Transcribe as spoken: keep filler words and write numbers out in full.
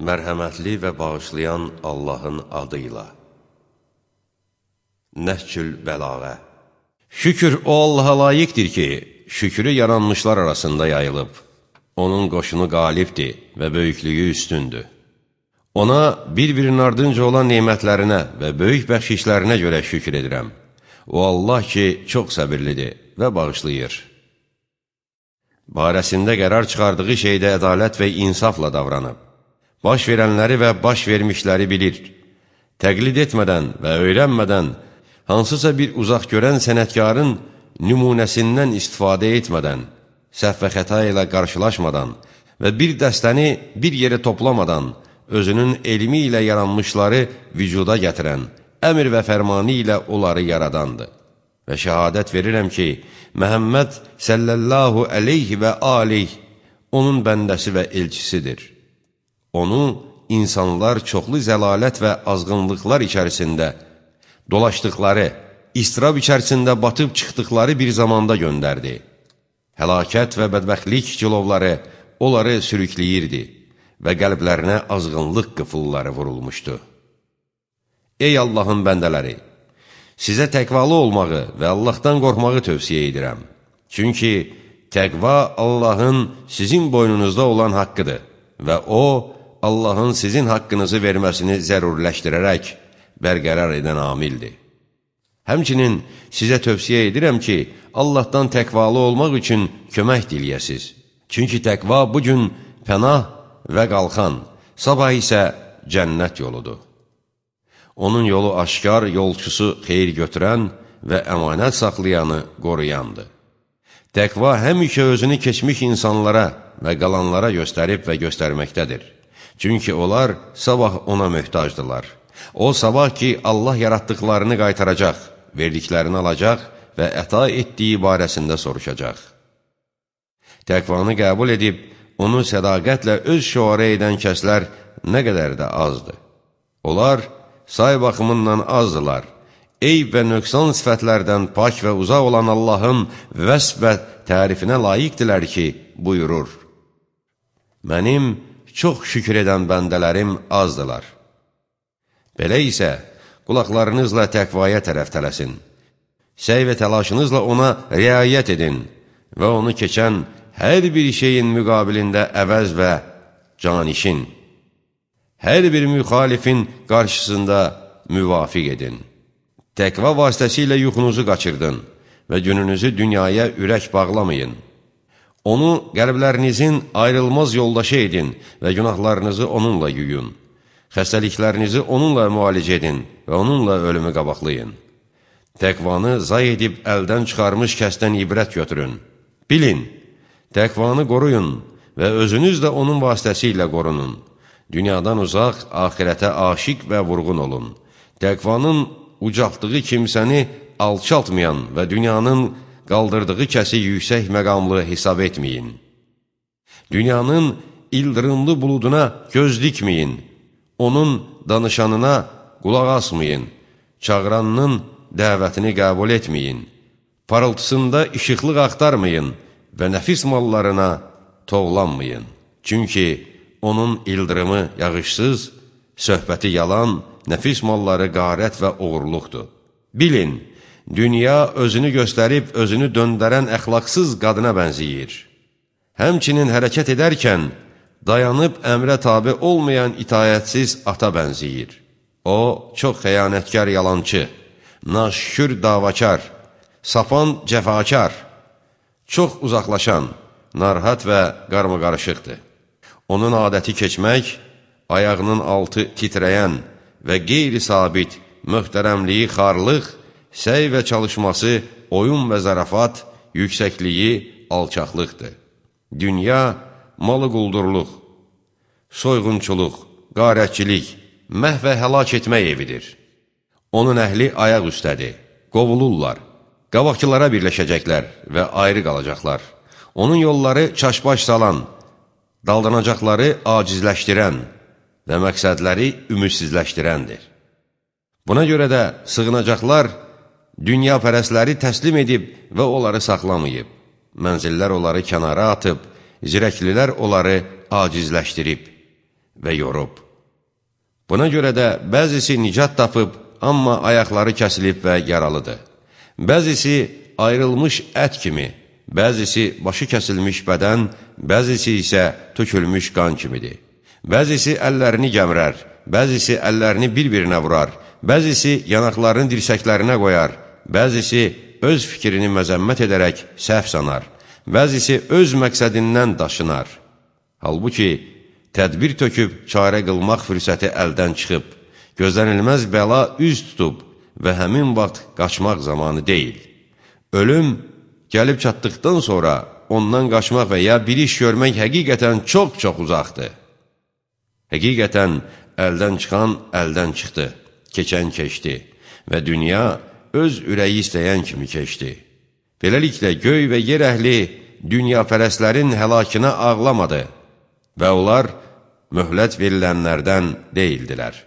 Mərhəmətli və bağışlayan Allahın adıyla. Nəhcül Bəlağə. Şükür o Allaha layiqdir ki, şükrü yaranmışlar arasında yayılıb. Onun qoşunu qalibdir və böyüklüyü üstündür. Ona bir-birinin ardınca olan nemətlərinə və böyük bəxşişlərinə görə şükür edirəm. O Allah ki, çox səbirlidir və bağışlayır. Barəsində qərar çıxardığı şeydə ədalət və insafla davranıb. Baş verənləri və baş vermişləri bilir. Təqlid etmədən və öyrənmədən, hansısa bir uzaq görən sənətkarın nümunəsindən istifadə etmədən, səhv və xəta ilə qarşılaşmadan və bir dəstəni bir yerə toplamadan, özünün elmi ilə yaranmışları vücuda gətirən, əmr və fərmanı ilə onları yaradandır. Və şəhadət verirəm ki, Məhəmməd səllallahu əleyhi və aleyh onun bəndəsi və elçisidir. Onu insanlar çoxlu zəlalət və azğınlıqlar içərisində dolaşdıqları, istirab içərisində batıb çıxdıqları bir zamanda göndərdi. Həlakət və bədbəxtlik cilovları onları sürükləyirdi və qəlblərinə azğınlıq qıfılları vurulmuşdu. Ey Allahın bəndələri! Sizə təqvalı olmağı və Allahdan qorxmağı tövsiyə edirəm. Çünki təqva Allahın sizin boynunuzda olan haqqıdır və O, Allahın sizin haqqınızı verməsini zəruriləşdirərək bərqərar edən amildir. Həmçinin sizə tövsiyə edirəm ki, Allahdan təqvalı olmaq üçün kömək diləyəsiz. Çünki təqva bugün pənah və qalxan, sabah isə cənnət yoludur. Onun yolu aşkar, yolçusu xeyir götürən və əmanət saxlayanı qoruyandır. Təqva həmişə özünü keçmiş insanlara və qalanlara göstərib və göstərməkdədir. Çünki onlar sabah ona möhtacdırlar. O sabah ki, Allah yaratdıqlarını qaytaracaq, verdiklərini alacaq və əta etdiyi barəsində soruşacaq. Təqvanı qəbul edib, onu sədaqətlə öz şüarə edən kəslər nə qədər də azdır. Onlar say baxımından azdılar. Eyb və nöqsan sifətlərdən pak və uzaq olan Allahın vəsf və tərifinə layiqdilər ki, buyurur. Mənim çox şükür edən bəndələrim azdılar. Belə isə, qulaqlarınızla təqvaya tərəf tələsin. Səy və təlaşınızla ona riayət edin və onu keçən hər bir şeyin müqabilində əvəz və canişin. Hər bir müxalifin qarşısında müvafiq edin. Təqva vasitəsilə yuxunuzu qaçırdın və gününüzü dünyaya ürək bağlamayın. Onu qəlblərinizin ayrılmaz yoldaşı edin və günahlarınızı onunla yuyun. Xəstəliklərinizi onunla müalicə edin və onunla ölümü qabaqlayın. Təqvanı zay edib əldən çıxarmış kəsdən ibrət götürün. Bilin, təqvanı qoruyun və özünüz də onun vasitəsilə qorunun. Dünyadan uzaq, axirətə aşiq və vurğun olun. Təqvanın ucaltdığı kimsəni alçaltmayan və dünyanın qaldırdığı kəsi yüksək məqamlı hesab etməyin. Dünyanın ildırımlı buluduna göz dikməyin. Onun danışanına qulaq asmayın. Çağıranının dəvətini qəbul etməyin. Parıltısında işıqlıq axtarmayın və nəfis mallarına toğlanmayın. Çünki onun ildırımı yağışsız, söhbəti yalan, nəfis malları qarət və uğurluqdur. Bilin, dünya özünü göstərib, özünü döndərən əxlaqsız qadına bənziyir. Həmçinin hərəkət edərkən, dayanıb əmrə tabi olmayan itayətsiz ata bənziyir. O, çox xəyanətkar yalancı, naşükür davakar, sapan cəfakar, çox uzaqlaşan, narahat və qarmaqarışıqdır. Onun adəti keçmək, ayağının altı titrəyən və qeyri-sabit, möhtərəmliyi xarlıq, səy və çalışması, oyun və zarafat, yüksəkliyi, alçaqlıqdır. Dünya, malı quldurluq, soyğunçuluq, qarətçilik, məhv və həlak etmək evidir. Onun əhli ayaq üstədir, qovulurlar, qabaqçılara birləşəcəklər və ayrı qalacaqlar. Onun yolları çaşbaş salan, daldanacaqları acizləşdirən və məqsədləri ümidsizləşdirəndir. Buna görə də sığınacaqlar dünya pərəsləri təslim edib və onları saxlamayıb. Mənzillər onları kənara atıb, zirəklilər onları acizləşdirib. və yorub. Buna görə də bəzisi nicat tapıb, amma ayaqları kəsilib və yaralıdır. Bəzisi ayrılmış ət kimi, bəzisi başı kəsilmiş bədən, bəzisi isə tökülmüş qan kimidir. Bəzisi əllərini gəmirər, bəzisi əllərini bir-birinə vurar, bəzisi yanaqlarını dirsəklərinə qoyar, bəzisi öz fikrini məzəmmət edərək səhv sanar, bəzisi öz məqsədindən daşınar. Halbuki, tədbir töküb çarə qılmaq fürsəti əldən çıxıb, gözlənilməz bəla üz tutub və həmin vaxt qaçmaq zamanı deyil. Ölüm gəlib çatdıqdan sonra ondan qaçmaq və ya bir iş görmək həqiqətən çox-çox uzaqdır. Həqiqətən əldən çıxan əldən çıxdı, keçən keçdi və dünya öz ürəyi istəyən kimi keçdi. Beləliklə, göy və yer əhli dünyapərəstlərin həlakına ağlamadı və onlar möhlət verilənlərdən deyildilər.